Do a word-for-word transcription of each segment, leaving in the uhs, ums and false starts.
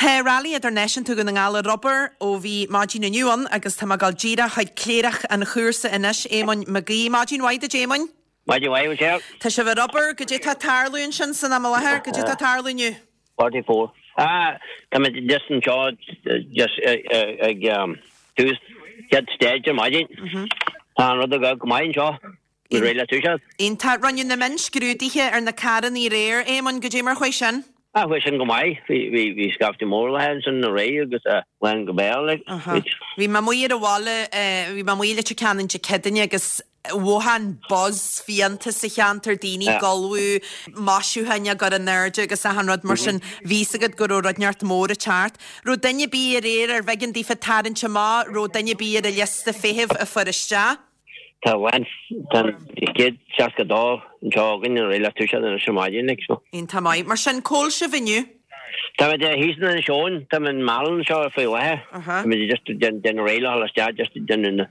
Tá Rally Idirnáisiúnta Dhún na nGall ar obair ó bhí maidin inniu ann agus tá mé ag dul díreach chuig cléireach an chúrsa anois, Éamonn Mac Aoidh. Maidin mhaith duit, Éamoinn. Maidin mhaith, Michelle. Tá sibh ar obair, goidé tá ag tarlú ansin san am i láthair, goidé tá ag tarlú inniu? Forty four. Ah, tá muid just anseo just ag tús chéad stage ar maidin. Tá an rud ag dul go maith anseo. Bhí réidh le toiseacht. Iontach. Rinneadh na mionscrúduithe ar na carrannaí aréir, Éamonn, goidé mar chuaigh sin? Ah, chuaigh sin go maith. Bhí, bhí, bhí scaifte mór le ansin aréir agus bhain go béal like. Bhí mé amuigh ar an bhaile, bhí mé amuigh i Leitir Ceanainn Dé Céadaoine agus mhothaigh an buzz fiánta sa cheantar, daoine ag ullmhú, maisiúcháin á gcur in airde agus achan rud mar sin. Bhí fhios agat go raibh rud inteacht mór ag teacht. Raibh duine ar bith aréir ar bh'éigean daofa tarraingt amach, raibh duine ar bith ar an liosta feithimh a fuair isteach? Tá an tá an chéad seasca dó anseo againn réidh le toiseacht anois ar maidin like so. Iontach maith. Mar sin, cá bhfuil sibh inniu? Tá muid thíos in Inis Eoghain, tá muid in Meallann anseo faoi láthair. Tá muid just déanamh réidh le dhul isteach just déanamh na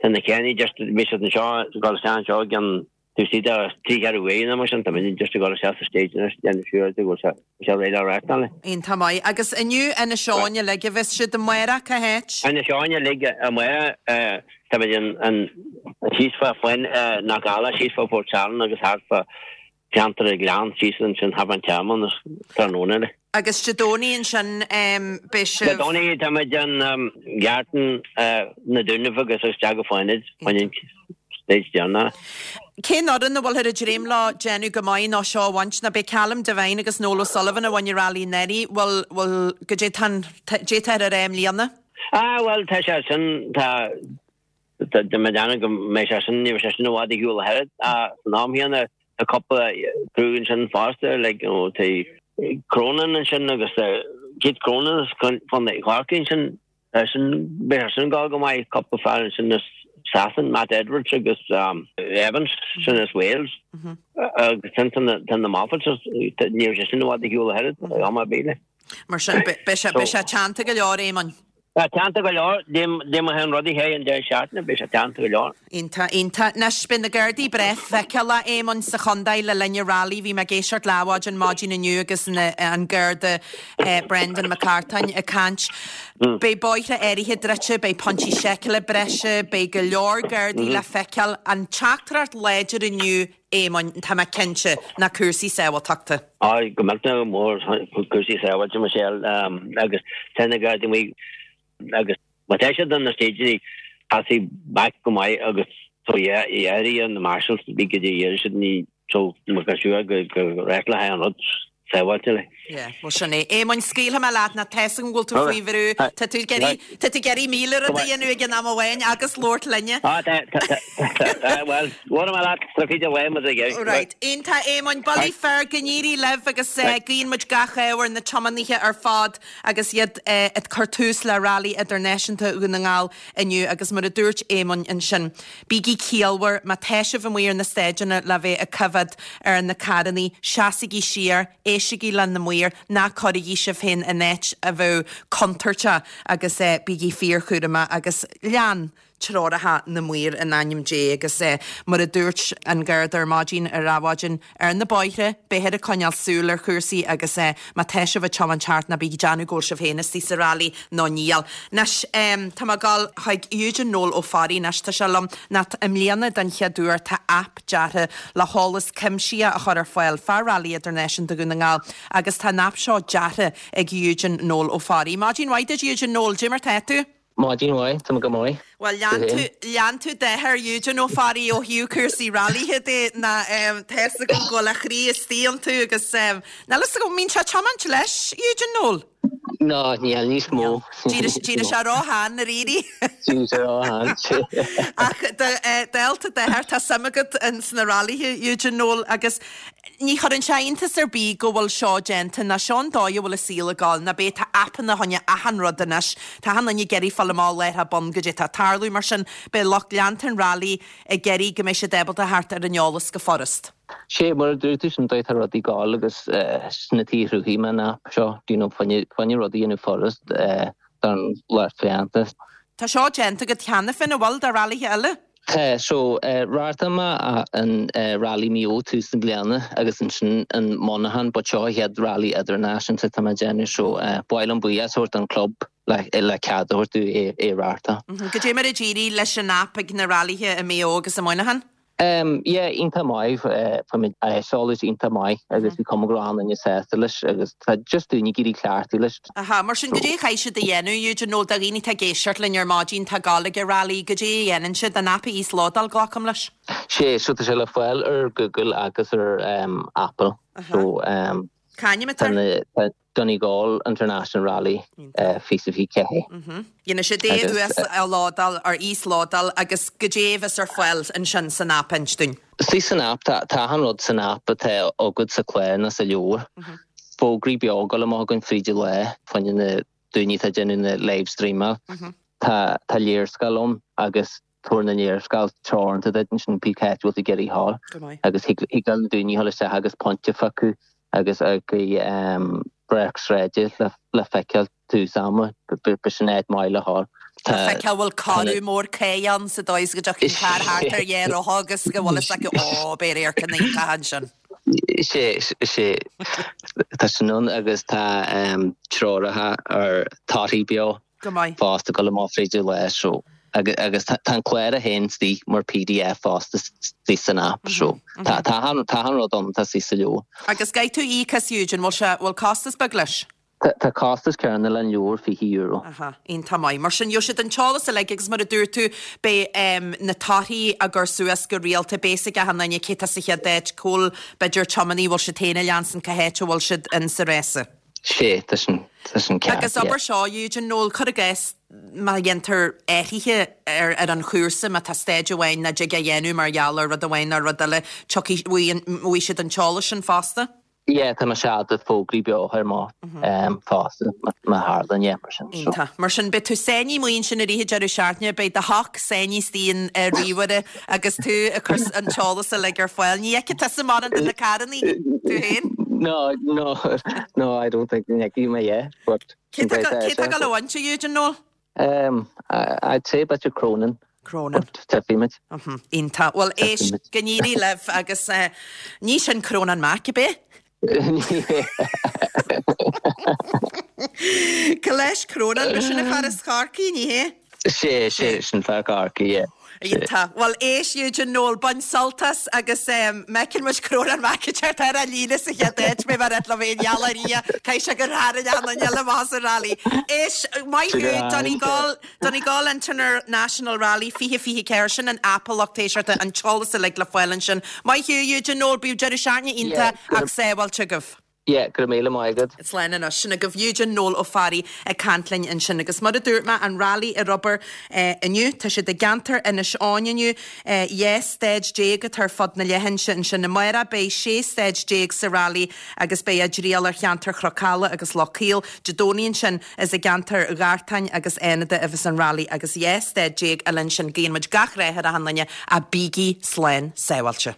tá na ceannaí just bhí siad anseo ag dul isteach anseo i gceann tú see de trí cheathrú uair nó mar sin tá muid just ag dul isteach sa stage anois déanamh sure go bhfuil sé sé réidh le reáchtáil. Iontach maith. Agus inniu Inis Eoghain uilig a bheas siad amárach cá háit? Inis Eoghain uilig amárach tá muid in an síos fá Faoin na Galla síos fá Phort Salann agus thart fá cheantar an Ghleann síos ansin thart fán Tearmann is tráthnóna eile. Agus Dé Domhnaigh ansin beidh sibh. Dé Domhnaigh tá muid in Geartain na Dúnaibh agus isteach go Fánaid, an stage deireanach. Cén fhoireann a bhfuilthear ag dréim leo déanamh go maith nó seo a bhaint nó beidh Callum Devine agus Noel O'Sullivan a bhain an rally anuraidh, bhfuil, bhfuil, goidé tá an, goidé táthar a rá i mbliana? Ah bhuel tá sé sin, tá, tá mé ag déanamh go mbeidh sé sin, ní bheidh sé sin i bhfad ar shiúl a thuilleadh ach san am chéanna tá cúpla crew ansin fosta like you know tá Cronin ansin agus tá Keith Cronin as Contae Chorcaí ansin tá sin beidh sé sin ag dul go maith cúpla fear ansin as Sasain Matt Edwards agus Evans sin as Wales agus sin tá na tá na Moffats ní bheidh sé sin i bhfad ar shiúl a thuilleadh am ar bith like. Mar sin beidh sé beidh sé teannta go leor Éamonn. Tá teannta go leor, dé mar an rudaí é an deireadh seachtaine, beidh sé teannta go leor. Iontach, iontach. Anois, beidh na Gardaí breá feiceálach, Éamonn, sa chontae le linn an rally. Bhí mé ag éisteacht le Adhmhaidin maidin inniu agus an Garda Brendan Mac Artáin ag caint. Beidh bóithre áirithe druidte, beidh pointí seiceála breise, beidh go leor Gardaí le feiceáil. An teachtaireacht láidir inniu, Éamoinn, tá mé cinnte, ná cúrsaí sábháilteachta. Á, go millteanach mór cúrsaí sábháilte, Michelle, agus tá na Gardaí amuigh agus má tá siad ar na stageanna caithfidh back go maith agus so yeah, yeah, na marshals bí go dtí iarraidh siad ní so má go sure go go reáchtlófar an rud sábháilte like. Yeah, well sin é. Éamoinn, scaoilfidh mé leat ná tá 'fhios agam go bhfuil tú faoi bhrú. Tá tú ag iarraidh, tá tú ag iarraidh míle rud a dhéanamh ag an am amháin agus labhairt linne. Ah, tá, tá, tá, tá, well, labhair mé leat, tá fíde uaim as ag iarraidh. Right, iontach Éamoinn, bullaí fear go n-éirí libh agus guíonn muid gach ádh ar na tiománaithe ar fad agus iad ag cur tús le Rally Idirnáisiúnta Dhún na nGall inniu agus mar a dúirt Éamonn ansin, bígí ciallmhar, má tá sibh amuigh ar na staideanna le bheith ag coimhéad ar na carrannaí, seasaigí siar, éistigí le na maoir, ná cuirigí sibh féin in áit a bheadh contúirteach agus bígí fíorchúramach agus lean treoracha na maor in ainm Dé agus mar a dúirt an Garda ar maidin ar Adhmhaidin ar na bóithre, beifear ag coinneáil súil ar chúrsaí agus má tá sibh ag tiomáint thart ná bígí ag déanamh go bhfuil sibh féin istigh sa rally nó níl. Anois tá mé ag dul chuig Eugene Noel Ó Fearraigh anois, tá sé liom ná i mbliana den chéad uair tá aip deartha le heolas cuimsitheach a chur ar fáil fá Rally Idirnáisiúnta Dhún na nGall agus tá an aip seo deartha ag Eugene Noel Ó Fearraigh. Maidin mhaith duit Eugene Noel, goidé mar tá tú? Maidin mhaith, tá mé go maith. Bhuel, lean tú, lean tú d'athair Eugene Ó Fearraigh ó thaobh cúrsaí rallythe de ná tá 'fhios agam go bhfuil a chroí istigh iontu agus níl 'fhios agam, an mbíonn sé ag tiomáint leis, Eugene Noel? No, níl níos mó. D'éirigh sé ró-shean dáiríre. D'éirigh sé ró-shean. Ach dálta d'athair, tá suim agat ins na rallythe, Eugene Noel, agus Ní chuireann sé iontas ar bith go bhfuil seo déanta, ná seo an dóigh a bhfuil an saol ag dul, ná b'é tá aipeanna fá choinne achan rud anois, tá achan duine ag iarraidh fáil amach láithreach bonn goidé tá ag tarlú, mar sin beidh lucht leanta an rally ag iarraidh go mbeidh siad ábalta theacht ar an eolas go furast. Sé mar a dúirt tú sin dóigh tá rudaí ag dul agus sin an tuige a chruthaigh mé an aip seo, do you know, fá choinne rudaí a dhéanamh furast don lucht féachana. Tá seo déanta agat cheana féin, an bhfuil, do rallythe eile? Tá so reáchtáil mé an Rally Maigh Eo tús na bliana agus ansin an Monaghan but seo an chéad rally idirnáisiúnta atá mé ag déanamh so ba mhaith liom buíochas a thabhairt don club le le cead a thabhairt domh é é a reáchtáil. Goidé mar a d'éirigh leis an aip ag na rallythe i Maigh Eo agus i Muineachán? Um, yeah, iontach maith fuair muid aiseolas iontach maith agus bhí cuma go raibh an-duine sásta leis agus tá just daoine ag iarraidh cleachtadh leis. Aha, mar sin goidé a chaithfidh siad a dhéanamh, Eugene, nó do dhaoine atá ag éisteacht linn ar maidin tá ag gabháil ag an rally, goidé a dhéanann siad, an aip a íoslódáil, glacaim leis? Sé, so tá sé le fáil ar Google agus ar um, Apple. So um, Cá hainm atá air? Tá Donegal International Rally fiche fiche ceathair. Dhéanfaidh siad é uaslódáil ar íoslódáil agus goidé a bheas ar fáil ansin san aip inis dúinn. Sí san aip tá achan rud san aip atá agat sa chlár nó sa leabhar. Fógraí beo ag dul amach againn fríd an lá fá choinne na daoine atá ag déanamh na live streamáil. Tá tá léarscáil ann agus tabhair na léarscáil teoranta duit ansin pé cá háit a bhfuil tú ag iarraidh a ghabháil agus thig le daoine a dhul isteach agus pointe a phiocadh agus ag breac sráide le feiceáil tús ama, b'shin áit maith le ghabháil. Le feiceáil bhfuil corradh mór cé ann sa dóigh is go dtiocfaidh an carr thart ar dhá rotha agus go bhfuil fhios acu ó beidh radharc iontach ansin. Sé sé tá sin ann agus tá treoracha ar torthaí beo Go maith. fosta ag dul amach fríd an lá so agus agus tá an clár é féin istigh mar PDF fosta istigh san app so tá tá an tá an rud ann tá sí sa leabhar. Agus caithfidh tú íoc as Eugene, bhfuil sé bhfuil costas beag leis? Tá tá costas céanna le an leabhar fiche euro. Aha, iontach maith. Mar sin gheobhaidh siad an t-eolas uilig agus mar a dúirt tú beidh um, na torthaí á gcur suas go rialta beidh a fhios ag achan duine cé tá sa chéad áit cá bhfuil b'fhéidir tiománaí bhfuil siad féin a leanstan cá háit a bhfuil siad in sa réasa. Sé tá sin tá sin ceart. Agus obair seo Eugene Noel cuir i gcás má dhéantar athruithe ar ar an chúrsa má tá stage amháin nach dtig a dhéanamh mar gheall ar rud amháin nó rud eile tiocfaidh bhfaighidh siad an t-eolas sin fosta. Yeah, tá sé de fógraí beo ar má um, fosta má tharlaíonn yeah, mar sin. So. Iontach. Mar sin beidh tú sáinnithe amuigh ansin i rith an deireadh seachtaine, beidh do shoc sáinnithe istigh in uh, ríomhaire agus tú ag cur an t-eolas uilig ar fáil. Ní fheicfidh tusa mórán de na carranna tú féin? No, no, no, I don't think bhfeicfidh mé yeah, but Cé tá ag gabháil a bhaint Eugene Noel? Um, I, I'd say b'fhéidir Cronin. Cronin. Tífimid. Iontach. Well éist go n-éirí libh agus uh, ní sin Cronin Mac a bit? Go leis Cronin be sin a fear as Corcaigh ní hé? Sé sé sin fear Corcaigh, yeah. Iontach. Well éist Eugene Noel bain sult as agus um, meiceann muid Cronin Mac ar ar líne sa chéad áit mé mar le bhéon gealairí cai se gur hair an eile más a rally. Éist maith thú Donegal Donegal International Rally fiche fiche ceathair sin an aip lucht éisteachta an t-eolas uilig le fáil ansin. Maith thú Eugene Noel bíodh deireadh seachtaine iontach ach sábháilte agaibh. Yeah, go raibh míle maith agat. Slán anois sin agaibh Eugene Noel Ó Fearraigh ag caint linn ansin agus mar a dúirt mé an rally ar obair eh, inniu tá siad i gceantar Inis Eoghain inniu eh, dhá staid déag atá ar fud na leithinse ansin amárach beidh sé staid déag sa rally agus beidh a dtriall ar cheantar Chnoc Alla agus Loch Caol Dé Domhnaigh ansin is i gceantar Ghartáin agus Fhánada a bheas an rally agus dhá staid déag eile ansin guíonn muid gach rath ar achan duine a bígí slán sábháilte.